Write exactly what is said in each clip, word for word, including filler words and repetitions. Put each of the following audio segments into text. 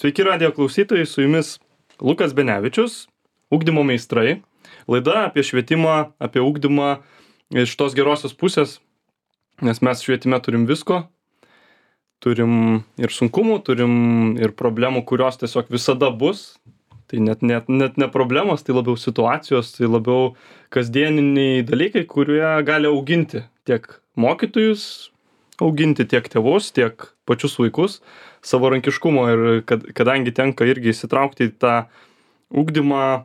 Sveiki radijo klausytojai, su jumis Lukas Benevičius, ugdymo meistrai. Laida apie švietimą, apie ugdymą iš tos gerosios pusės, nes mes švietime turim visko. Turim ir sunkumų, turim ir problemų, kurios tiesiog visada bus. Tai net, net, net ne problemos, tai labiau situacijos, tai labiau kasdieniniai dalykai, kurie gali auginti tiek mokytojus, auginti tiek tėvus, tiek pačius vaikus savarankiškumo. Ir kad, kadangi tenka irgi įsitraukti į tą ugdymą,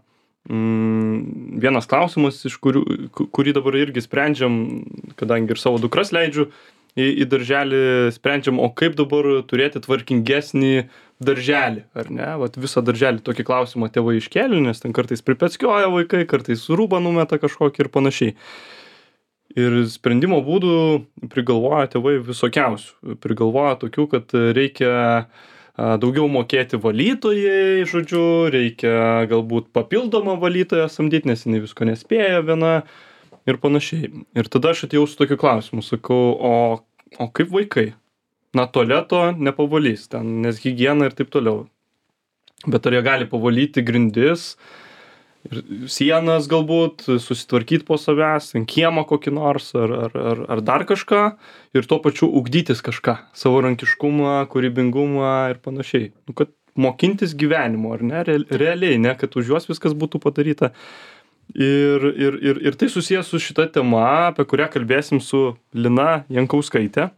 mm, vienas klausimas, iš kurių, kurį dabar irgi sprendžiam, kadangi ir savo dukras leidžiu į, į darželį, sprendžiam, o kaip dabar turėti tvarkingesnį darželį, ar ne? Vat visą darželį tokį klausimą tėvai iškėlė, nes ten kartais pripeckioja vaikai, kartais rūbą numeta kažkokį ir panašiai. Ir sprendimo būdų prigalvoja tėvai visokiausių. Prigalvoja tokių, kad reikia daugiau mokėti valytojai, žodžiu, reikia galbūt papildomą valytoją samdyti, nes jinai visko nespėja viena ir panašiai. Ir tada aš atėjau su tokiu klausimu, sakau, o, o kaip vaikai? Na, tualeto nepavalys ten, nes higiena ir taip toliau. Bet ar jie gali pavalyti grindis, ir sienas galbūt, susitvarkyti po savęs, kiemą kokį nors, ar, ar, ar, ar dar kažką, ir tuo pačiu ugdytis kažką, savarankiškumą, kūrybingumą ir panašiai. Nu, kad mokintis gyvenimo, ar ne, realiai, ne, kad už juos viskas būtų padaryta. Ir, ir, ir, ir tai susijęs su šita tema, apie kurią kalbėsim su Lina Jankauskaite,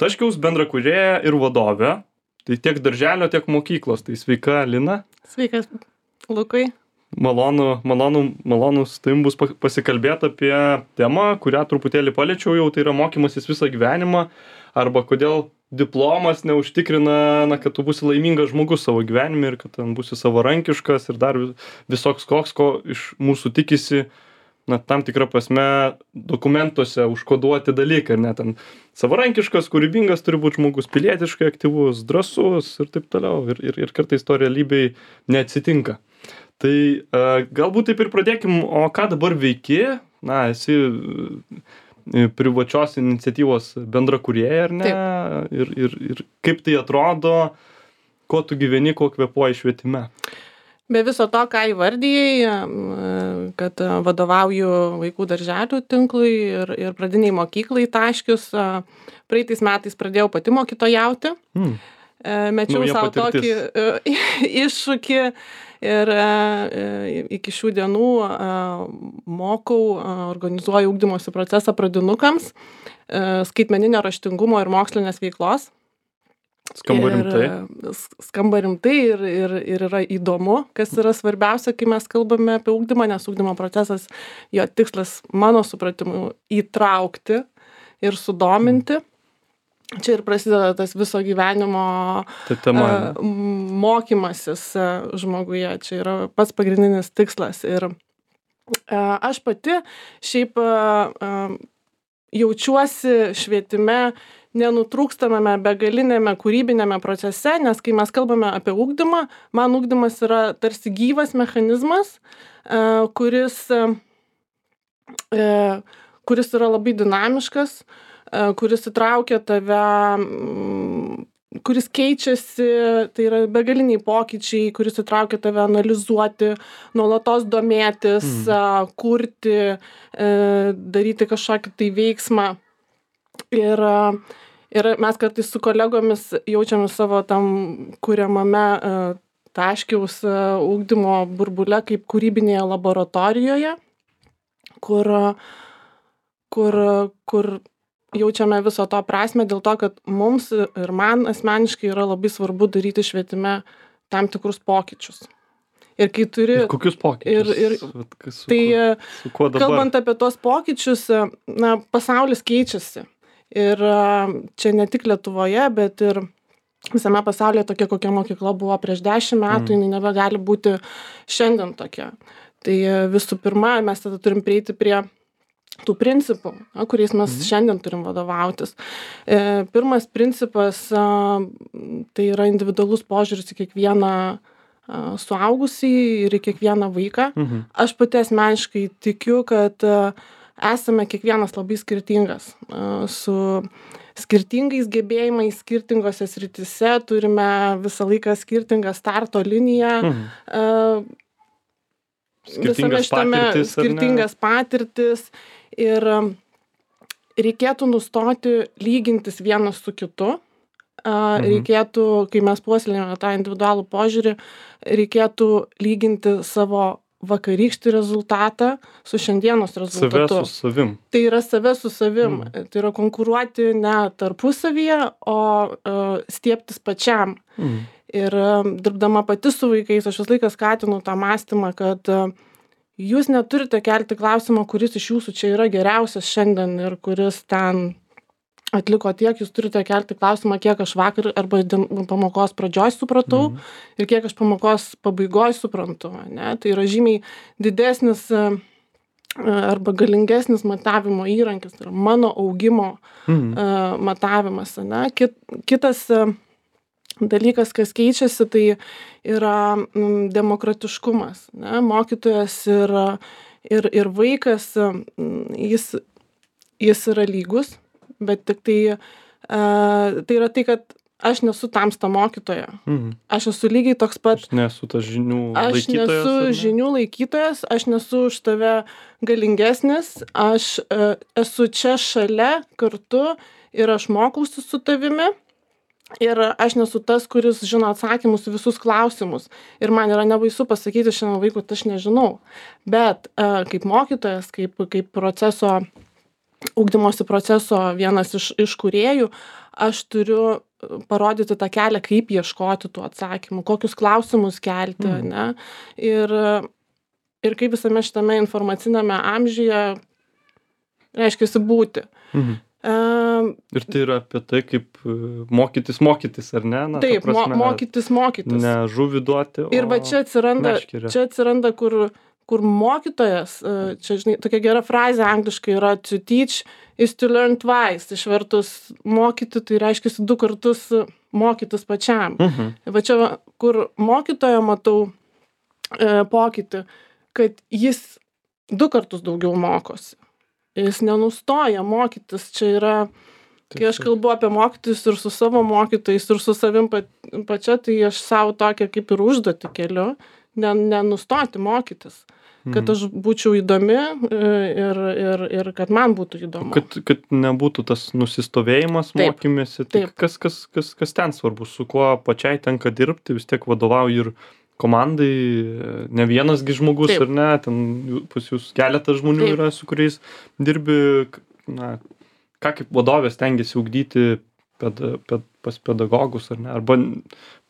Taškiaus bendrakūrėja ir vadovė, tai tiek darželio, tiek mokyklos. Tai sveika, Lina. Sveikas, Lukai. Malonu, malonu, malonu su tavim bus pasikalbėti apie temą, kurią truputėlį paliečiau jau, tai yra mokymasis visą gyvenimą, arba kodėl diplomas neužtikrina, na, kad tu būsi laimingas žmogus savo gyvenime ir kad ten būsi savarankiškas ir dar visoks koks, ko iš mūsų tikisi, na, tam tikrą prasme dokumentuose užkoduoti dalykai, ar ne, ten savarankiškas, kūrybingas turi būti žmogus, pilietiškai aktyvus, drąsus ir taip toliau, ir, ir, ir kartais to realybėj neatsitinka. Tai uh, galbūt taip ir pradėkim, o ką dabar veiki? Na, esi privačios iniciatyvos bendrakūrėja, ar ne? Taip. Ir, ir, ir kaip tai atrodo, kuo tu gyveni, kuo kvėpuoji švietime? Be viso to, ką įvardijai, kad vadovauju vaikų darželių tinklui ir, ir pradiniai mokyklai Taškius, praeitais metais pradėjau pati mokytojauti. Hmm. Mečiau Nauja savo patirtis. tokį iššūkį ir iki šių dienų mokau, organizuoju ugdymosi procesą pradinukams, skaitmeninio raštingumo ir mokslinės veiklos. Skamba rimtai. Ir, skamba rimtai ir, ir, ir yra įdomu, kas yra svarbiausia, kai mes kalbame apie ugdymą, nes ugdymo procesas, jo tikslas, mano supratimu, įtraukti ir sudominti. Mm. Čia ir prasideda tas viso gyvenimo tai tema, uh, mokymasis uh, žmoguje. Čia yra pats pagrindinis tikslas. Ir uh, aš pati šiaip uh, uh, jaučiuosi švietime nenutrūkstamame begalinėme kūrybinėme procese, nes kai mes kalbame apie ugdymą, man ugdymas yra tarsi gyvas mechanizmas, kuris, kuris yra labai dinamiškas, kuris įtraukia tave, kuris keičiasi, tai yra begaliniai pokyčiai, kuris įtraukia tave analizuoti, nuolatos domėtis, mm. kurti, daryti kažkokį tai veiksmą. Ir Ir mes kartais su kolegomis jaučiame savo tam kuriamame uh, Taškiaus uh, ugdymo burbule kaip kūrybinėje laboratorijoje, kur, kur, kur jaučiame viso to prasme dėl to, kad mums ir man asmeniškai yra labai svarbu daryti švietime tam tikrus pokyčius. Ir kai turi... Ir kokius pokyčius? Ir, ir, su, tai, su kuo dabar? Kalbant apie tos pokyčius, na, pasaulis keičiasi. Ir čia ne tik Lietuvoje, bet ir visame pasaulyje tokia, kokia mokykla buvo prieš dešimt metų, mm. jinai nebegali būti šiandien tokia. Tai visų pirma, mes tada turim prieiti prie tų principų, na, kuriais mes mm. šiandien turim vadovautis. E, pirmas principas, a, tai yra individualus požiūris į kiekvieną a, suaugusį ir į kiekvieną vaiką. Mm-hmm. Aš pati asmeniškai tikiu, kad a, esame kiekvienas labai skirtingas, su skirtingais gebėjimais skirtingose srityse, turime visą laiką skirtingą starto liniją. Mhm. Uh, Skirtingas patirtis, skirtingas patirtis ir reikėtų nustoti lygintis vienas su kitu. Mhm. Reikėtų, kai mes puoselėjame tą individualų požiūrį, reikėtų lyginti savo vakarykštį rezultatą su šiandienos rezultatu. Save su savim. Tai yra save su savim. Mhm. Tai yra konkuruoti ne tarpusavyje, o uh, stiebtis pačiam. Mhm. Ir dirbdama pati su vaikais, aš vis laiką skatinu tą mąstymą, kad jūs neturite kelti klausimą, kuris iš jūsų čia yra geriausias šiandien ir kuris ten atliko tiek, jūs turite kelti klausimą, kiek aš vakar arba pamokos pradžioj supratau mhm. ir kiek aš pamokos pabaigoj suprantu. Ne? Tai yra žymiai didesnis arba galingesnis matavimo įrankis, tai yra mano augimo mhm. matavimas. Ne? Kit, kitas dalykas, kas keičiasi, tai yra mm, demokratiškumas. Ne? Mokytojas ir, ir, ir vaikas, jis, jis yra lygus, bet tik tai, uh, tai yra tai, kad aš nesu tamsta mokytoja. Mhm. Aš esu lygiai toks pat. Aš nesu tas žinių aš laikytojas. Aš nesu ne? žinių laikytojas, aš nesu už tave galingesnis, aš uh, esu čia šalia kartu ir aš mokausi su tavimi. Ir aš nesu tas, kuris žino atsakymus visus klausimus. Ir man yra nebaisu pasakyti šiandien vaikui, kad aš nežinau. Bet uh, kaip mokytojas, kaip, kaip proceso, ugdymosi proceso vienas iš, iš kūrėjų, aš turiu parodyti tą kelią, kaip ieškoti tų atsakymų, kokius klausimus kelti. Mm. Ne? Ir, ir kaip visame šitame informacinėme amžiuje reiškiasi būti. Mhm. Um, ir tai yra apie tai, kaip mokytis, mokytis, ar ne? Na, taip, prasme, mo mokytis, mokytis. Ne žuvį duoti, o ir va čia atsiranda, meškerę. Čia atsiranda kur, kur mokytojas, čia, žinai, tokia gera frazė angliškai yra to teach is to learn twice. Išvertus mokyti, tai reiškia du kartus mokytis pačiam. Mhm. Va čia, kur mokytojo matau e, pokytį, kad jis du kartus daugiau mokosi. Jis nenustoja mokytis. Čia yra, kai aš kalbu apie mokytis ir su savo mokytojais, ir su savim pa, pačia, tai aš savo tokią kaip ir užduotį keliu, nenustoti mokytis. Kad aš būčiau įdomi ir, ir, ir kad man būtų įdomu. Kad, kad nebūtų tas nusistovėjimas taip, mokymėsi. Tai kas, kas, kas, kas ten svarbu, su kuo pačiai tenka dirbti, vis tiek vadovauji ir komandai, ne vienasgi žmogus, taip. Ar ne, ten pas jūs keletas žmonių taip. Yra, su kuriais dirbi, na, ką kaip vadovės tengiasi ugdyti ped, ped, pas pedagogus, ar ne, arba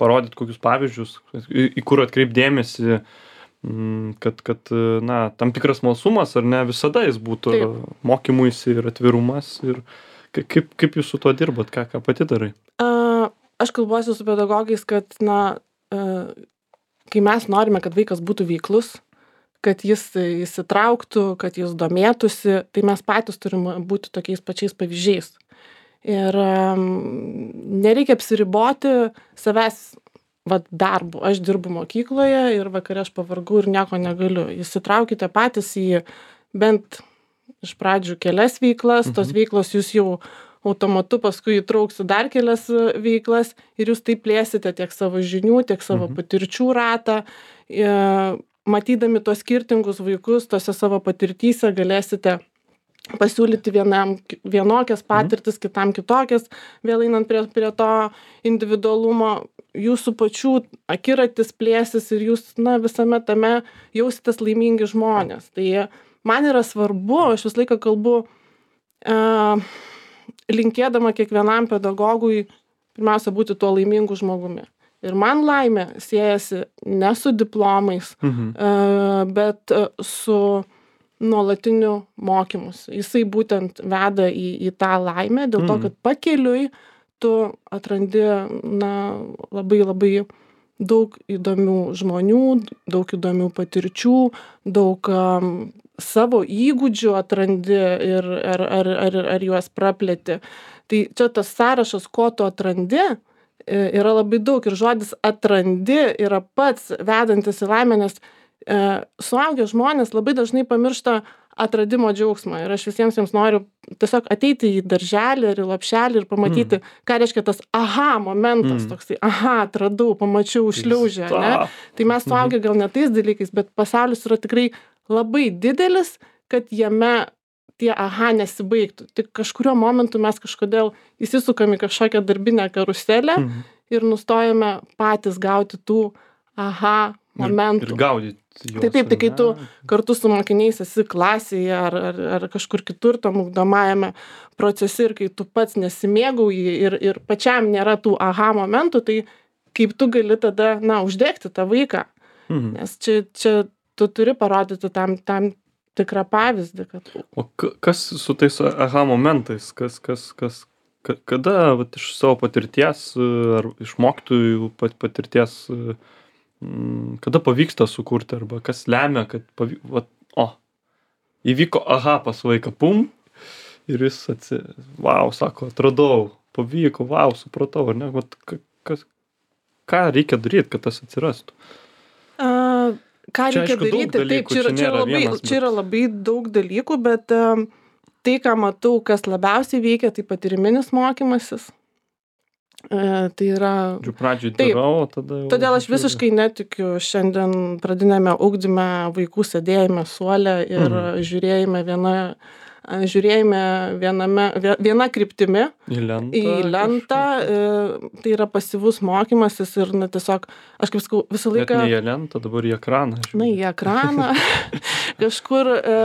parodyti kokius pavyzdžius, į, į kur atkreipdėmėsi, kad, kad, na, tam tikras smalsumas, ar ne, visada jis būtų taip. Mokymuisi ir atvirumas, ir kaip, kaip jūs su tuo dirbat, ką, ką pati darai? A, aš kalbuosi su pedagogais, kad, na, a, kai mes norime, kad vaikas būtų veiklus, kad jis įsitrauktų, kad jis domėtųsi, tai mes patys turime būti tokiais pačiais pavyzdžiais. Ir um, nereikia apsiriboti savęs vat, darbu. Aš dirbu mokykloje ir vakare aš pavargau ir nieko negaliu. Įsitraukite patys į bent iš pradžių kelias veiklas, mhm. tos veiklos jūs jau automatu paskui įtrauksiu dar kelias veiklas ir jūs taip plėsite tiek savo žinių, tiek savo mhm. patirčių ratą. E, matydami tos skirtingus vaikus, tose savo patirtyse galėsite pasiūlyti vienam vienokias patirtis, mhm. kitam kitokias, vėl einant prie, prie to individualumo, jūsų pačių akiratis plėsis ir jūs na, visame tame jausitės laimingi žmonės. Tai man yra svarbu, aš visą laiką kalbu, e, linkėdama kiekvienam pedagogui pirmiausia būti tuo laimingu žmogumi. Ir man laimė siejasi ne su diplomais, mhm. bet su nuolatiniu mokymus. Jisai būtent veda į, į tą laimę, dėl to, kad pakeliui tu atrandi na, labai labai daug įdomių žmonių, daug įdomių patirčių, daug um, savo įgūdžių atrandi ir ar, ar, ar, ar juos praplėti. Tai čia tas sąrašas, ko tu atrandi, yra labai daug ir žodis atrandi yra pats vedantis į laimę, nes e, suaugę žmonės labai dažnai pamiršta atradimo džiaugsmą. Ir aš visiems jiems noriu tiesiog ateiti į darželį ar į lopšelį ir pamatyti, mm. ką reiškia tas aha momentas, mm. toksai, aha, atradau, pamačiau, šliaužė, ne? Tai mes suaugę gal ne tais dalykais, bet pasaulis yra tikrai labai didelis, kad jame tie aha nesibaigtų. Tik kažkurio momentu mes kažkodėl įsisukam į kažkokią darbinę karuselę mm. ir nustojame patys gauti tų aha momentų. Ir, ir gaudyti. Taip, taip, tai kai tu kartu su mokiniais esi klasėje ar, ar, ar kažkur kitur tam ugdomajame procese ir kai tu pats nesimėgauji ir, ir pačiam nėra tų aha momentų, tai kaip tu gali tada, na, uždegti tą vaiką. Mhm. Nes čia, čia tu turi parodyti tam, tam tikrą pavyzdį. Kad... O kas su tais aha momentais? Kas, kas, kas, kada vat, iš savo patirties ar iš mokytojų patirties kada pavyksta sukurti, arba kas lemia, kad pavyk... Vat, o, įvyko aha pas vaiką, pum, ir jis atsi... Vau, sako, atradau, pavyko, vau, supratau, ar ne? Vat, kas, ką reikia daryti, kad tas atsirastų? A, ką čia, reikia aišku, daryti? Dalykų, taip, čia, čia, čia, labai, vienas, bet... čia yra labai daug dalykų, bet um, tai, ką matau, kas labiausiai veikia, tai patyriminis mokymasis. E, tai yra... Pradžiai darau, tada... Jau... Todėl aš visiškai netikiu šiandien pradinėme ugdyme vaikų sėdėjime suole ir mhm. žiūrėjime viena, žiūrėjime viename, viena kryptimi į lentą. Į lentą e, tai yra pasyvus mokymasis ir na, tiesiog, aš kaip sakau, visą laiką... Bet ne į lentą, dabar į ekraną. Žiūrėjau. Na, į ekraną. Kažkur... E,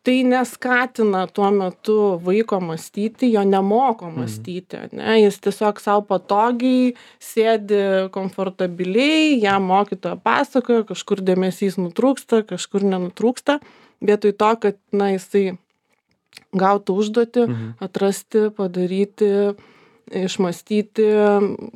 tai neskatina tuo metu vaiko mąstyti, jo nemoko mąstyti, ne? Jis tiesiog savo patogiai sėdi komfortabiliai, jam mokytoja pasakoja, kažkur dėmesys nutrūksta, kažkur nenutrūksta, vietoj to, kad na, jisai gautų užduotį, mhm. atrasti, padaryti, išmąstyti,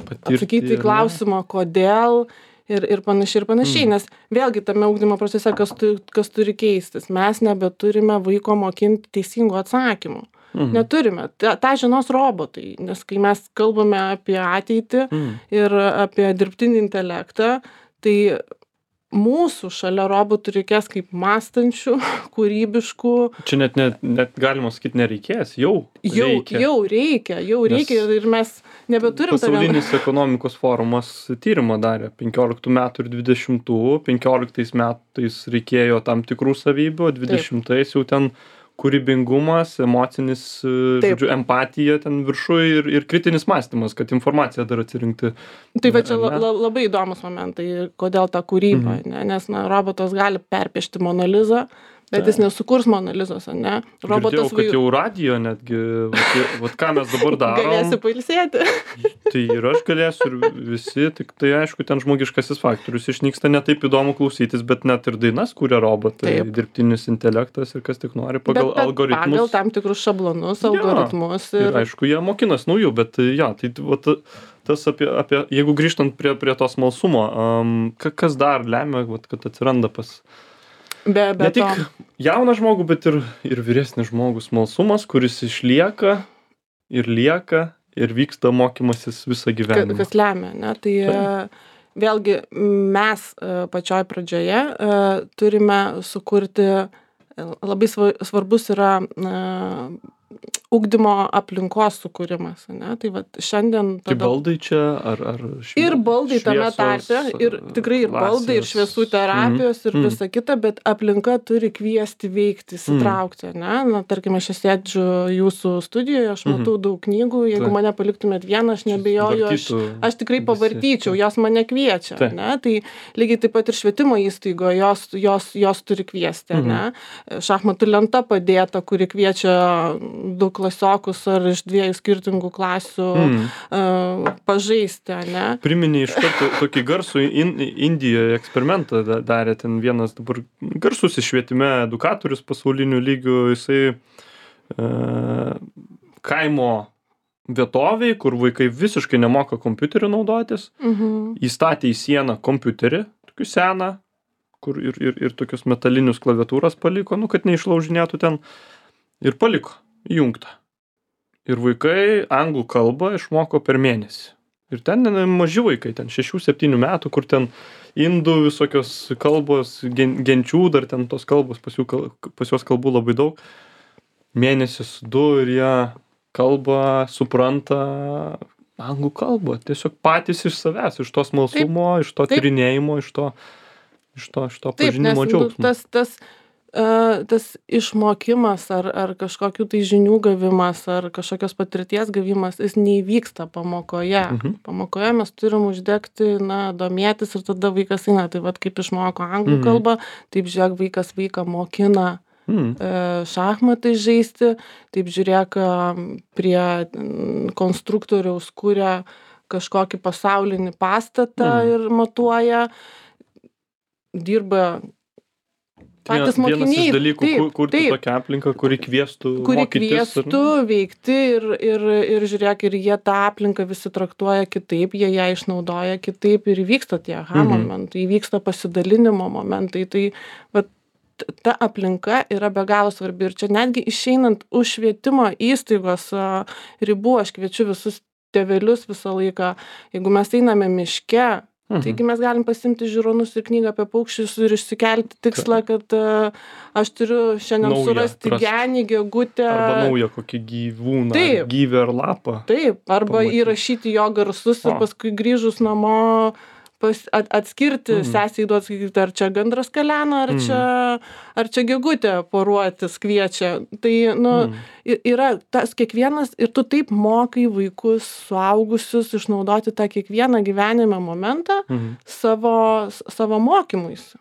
patirti, atsakyti į klausimą, kodėl, ir, ir panašiai ir panašiai, mm. nes vėlgi tame ugdymo procese, kas, tu, kas turi keistis, mes nebeturime vaiko mokinti teisingų atsakymų. Mm. Neturime. Ta, ta žinos robotai, nes kai mes kalbame apie ateitį mm. ir apie dirbtinį intelektą, tai mūsų šalia robotų reikės kaip mąstančių, kūrybiškų. Čia net, net, net galima sakyti nereikės, jau jau reikia. Jau reikia, jau Nes reikia ir mes nebeturim. Pasaulinis tave... ekonomikos forumas tyrimą darė penkioliktų metų ir dvidešimtų, penkioliktais metais reikėjo tam tikrų savybių, dvidešimtais jau ten kūrybingumas, emocinis, Taip. žodžiu, empatija ten viršui ir, ir kritinis mąstymas, kad informaciją dar atsirinkti. Tai va čia la, la, labai įdomus momentai, kodėl ta kūryba, mhm. ne? Nes na, robotas gali perpiešti Monalizą, bet jis nesukurs Monalizos, ne? Robotas Girdėjau, kad jau radijo netgi, vat, vat ką mes dabar darom. Galėsi pailsėti. Tai ir aš galėsiu ir visi, tik tai aišku, ten žmogiškasis faktorius išnyksta, ne taip įdomu klausytis, bet net ir dainas kūrė robotai, taip. Dirbtinis intelektas ir kas tik nori pagal bet, bet algoritmus. Pagal tam tikrus šablonus, algoritmus. Ja, ir... ir aišku, jie mokinas naujų, bet ja, tai vat, tas apie, apie, jeigu grįžtant prie, prie to smalsumo, um, kas dar lemia, vat, kad atsiranda pas... Be, be ne tik to. Jauną žmogų, bet ir, ir vyresnį žmogų smalsumas, kuris išlieka ir lieka ir vyksta mokymasis visą gyvenimą. Kas lemia, ne? Tai Taip. Vėlgi mes pačioj pradžioje turime sukurti, labai svarbus yra ugdymo aplinkos sukūrimas, ne? Tai vat šiandien... Tada... Tai baldai čia, ar, ar švie... Ir baldai tame tarpe, ir tikrai ir klasės. Baldai, ir šviesų terapijos, mm. ir mm. visa kita, bet aplinka turi kviesti veikti, įsitraukti, ne? Na, tarkime, aš sėdžiu jūsų studijoje, aš matau mm. daug knygų, jeigu tai. Mane paliktumėt vieną, aš nebejoju, aš, aš tikrai pavartyčiau, jos mane kviečia, tai. Ne? Tai lygiai taip pat ir švietimo įstaigo, jos, jos, jos turi kviesti, mm. ne? Šachmatų lenta padėta, kuri kviečia du klasiokus ar iš dviejų skirtingų klasių mm. uh, pažaisti, ne? Priminė iš karto tokį garsų in, Indijoje eksperimentą darė ten vienas dabar garsus švietime edukatorius pasaulinių lygių, jisai uh, kaimo vietoviai, kur vaikai visiškai nemoka kompiuteriu naudotis, mm-hmm. įstatė į sieną kompiuterį, tokį seną, kur ir, ir, ir tokius metalinius klaviatūras paliko, nu, kad neišlaužinėtų ten, ir paliko įjungta. Ir vaikai anglų kalbą išmoko per mėnesį. Ir ten ne, maži vaikai, ten šešių septynių metų, kur ten indų visokios kalbos, gen, genčių, dar ten tos kalbos, pas, jų, kal- pas juos kalbų labai daug. Mėnesis du ir jie kalba, supranta anglų kalbą. Tiesiog patys iš savęs, iš to smalsumo, iš to taip. tyrinėjimo, iš to, iš to, iš to Taip, nes pažinimo nu, džiaugsmo. tas, tas, uh, tas išmokimas ar, ar kažkokių tai žinių gavimas ar kažkokios patirties gavimas, jis neįvyksta pamokoje. Mhm. Pamokoje mes turim uždegti, na, domėtis ir tada vaikas eina. Tai vad kaip išmoko anglų Mhm. kalbą, taip žiūrėk, vaikas vaiką mokina Mm. e, šachmatai žaisti, taip žiūrėk, e, prie mm, konstruktoriaus kuria kažkokį pasaulinį pastatą Mhm. ir matuoja, dirba patys Vienas mokiniai. iš dalykų, taip, kur, kurti taip, tokią aplinką, kuri kviestų kuri mokytis. kviestų veikti ir, ir, ir žiūrėk, ir jie tą aplinką visi traktuoja kitaip, jie ją išnaudoja kitaip ir įvyksta tie aha Mhm. momentai, įvyksta pasidalinimo momentai. Tai vat, ta aplinka yra be galo svarbi ir čia netgi išeinant už švietimo įstaigos a, ribų, aš kviečiu visus tėvelius visą laiką, jeigu mes einame miške, Mhm. taigi mes galim pasiimti žiūronus ir knygą apie paukščius ir išsikelti tikslą, kad a, aš turiu šiandien Naują surasti atrast. genį, gegutę. Arba naują kokį gyvūną, Taip. ar gyvį ar lapą. Taip, arba Pamatyti. įrašyti jo garsus ir O. paskui grįžus namo pas, at, atskirti, Mhm. mm. sesiai duot, sakyti, ar čia gandras kalena, ar, Mhm. mm. čia, ar čia gegutė poruotis kviečia. Tai, nu, Mhm. mm. yra tas kiekvienas ir tu taip mokai vaikus, suaugusius išnaudoti tą kiekvieną gyvenime momentą Mhm. savo, savo mokymuisi.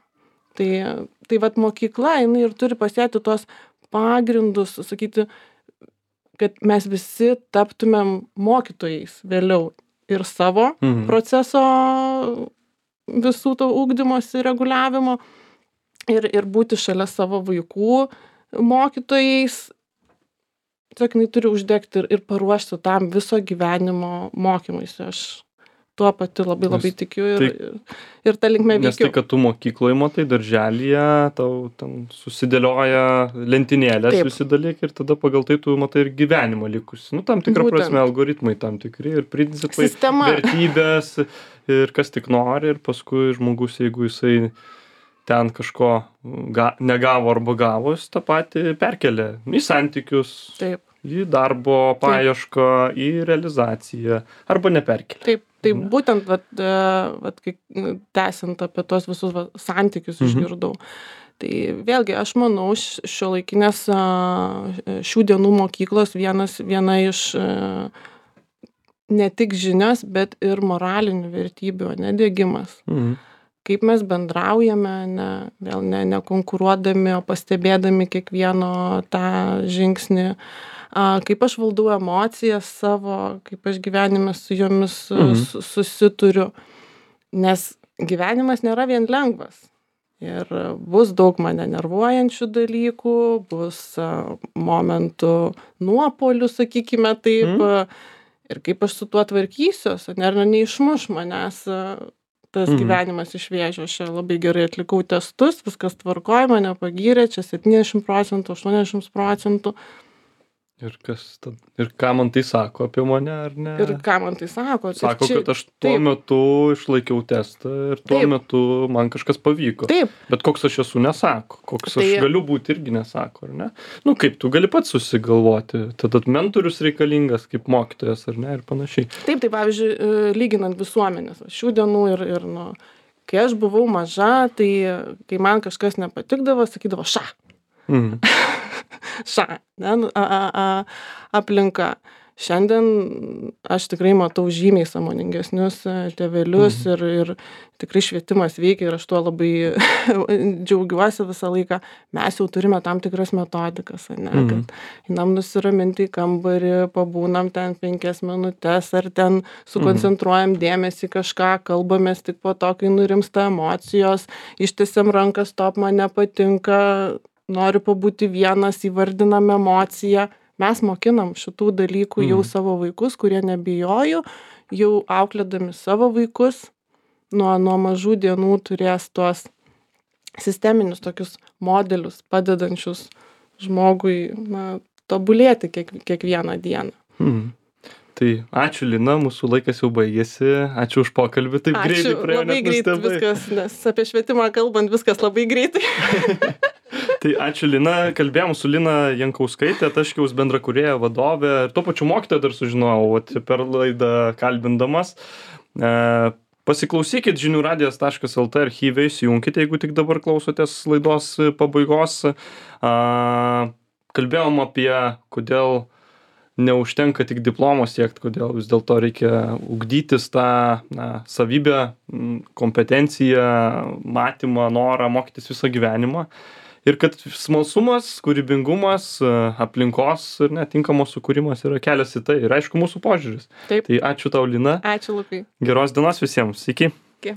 Tai, tai vat mokykla, jinai ir turi pasėti tuos pagrindus, sakyti, kad mes visi taptumėm mokytojais vėliau ir savo Mhm. proceso visų to ugdymosi reguliavimo ir, ir būti šalia savo vaikų mokytojais. Tiesiog jinai turi uždegti ir, ir paruošti tam viso gyvenimo mokymuisi. Aš tuo pati labai Nes labai tikiu ir, tai- ir, ir tą linkmę Nes tai, veikiu. kad tu mokykloje matai, darželyje, tau ten susidėlioja lentynėlės Taip. visi dalykai ir tada pagal tai tu matai ir gyvenimą likusi. Nu, tam tikrą Būtent. prasme algoritmai tam tikri ir principai, Sistema. vertybės ir kas tik nori ir paskui žmogus, jeigu jisai ten kažko ga, negavo arba gavo, jis tą patį perkelia į santykius, Taip. į darbo paiešką, į realizaciją arba neperkelia. Taip, tai Ne? būtent, vat, e, vat, kai nu, tęsiant apie tos visus va, santykius Mhm. išgirdau. Tai vėlgi, aš manau, šiuolaikinės šių dienų mokyklos vienas, viena iš e, ne tik žinios, bet ir moralinių vertybių, nedėgymas. Mhm. Kaip mes bendraujame, ne, vėl ne, nekonkuruodami, o pastebėdami kiekvieno tą žingsnį. A, kaip aš valdau emocijas savo, kaip aš gyvenime su jomis Mhm. su, susituriu. Nes gyvenimas nėra vien lengvas. Ir bus daug mane nervuojančių dalykų, bus a, momentų nuopolių, sakykime taip. Mhm. Ir kaip aš su tuo tvarkysiuos, ar ne, neišmuš manęs a, tas Mhm. gyvenimas iš vėžio. Aš čia labai gerai atlikau testus, viskas tvarkoja, mane pagyrė, čia septyniasdešimt procentų, aštuoniasdešimt procentų. Ir kas tad, ir ką man tai sako apie mane, ar ne? Ir ką man tai sako? Sako, Ir čia- kad aš tuo taip. metu išlaikiau testą ir tuo Taip. metu man kažkas pavyko. Taip, Bet koks aš esu, nesako. Koks aš Tai- galiu būti, irgi nesako, ar ne? Nu, kaip tu gali pats susigalvoti. Tada mentorius reikalingas kaip mokytojas, ar ne, ir panašiai. taip, tai pavyzdžiui, e, lyginant visuomenės, va, šių dienų ir, ir nu, kai aš buvau maža, tai kai man kažkas nepatikdavo, sakydavo ša, Mhm. ša, ne, nu, a, a, a, aplinka. Šiandien aš tikrai matau žymiai sąmoningesnius e, tėvelius ir, ir tikrai švietimas veikia ir aš tuo labai džiaugiuosi visą laiką. Mes jau turime tam tikras metodikas, ne, Mhm. kad einam nusiraminti į kambarį, pabūnam ten penkias minutės ar ten sukoncentruojam dėmesį į kažką, kalbamės tik po to, kai nurimsta emocijos, ištiesiam ranką, stop, man nepatinka, noriu pabūti vienas, įvardinam emociją. Mes mokinam šitų dalykų jau Mhm. savo vaikus, kurie nebijojo, jau auklėdami savo vaikus nuo, nuo mažų dienų turės tuos sisteminius tokius modelius, padedančius žmogui na, tobulėti kiek, kiekvieną dieną. Mhm. Tai ačiū, Lina, mūsų laikas jau baigėsi. Ačiū už pokalbį, taip greitai Ačiū, praėjo. labai net greit nustebai. viskas, nes apie švietimą kalbant viskas labai greitai. Tai ačiū, Lina. Kalbėjom su Lina Jankauskaitė, Taškiaus bendrakūrėja vadovė. Ir tuo pačiu mokytoja dar sužinojau, vat, per laidą kalbindamas. E, pasiklausykit žinių radijas taškas lt archyve, įsijunkite, jeigu tik dabar klausotės laidos pabaigos. E, kalbėjom apie, kodėl neužtenka tik diplomo siekti, kodėl vis dėlto reikia ugdytis tą na, savybę, kompetenciją, matymą, norą mokytis visą gyvenimą. Ir kad smalsumas, kūrybingumas, aplinkos ir netinkamos sukūrimas yra kelias į tai. Ir aišku, mūsų požiūris. Taip. Tai ačiū tau, Lina. Ačiū, Lukai. Geros dienos visiems. Iki. Iki.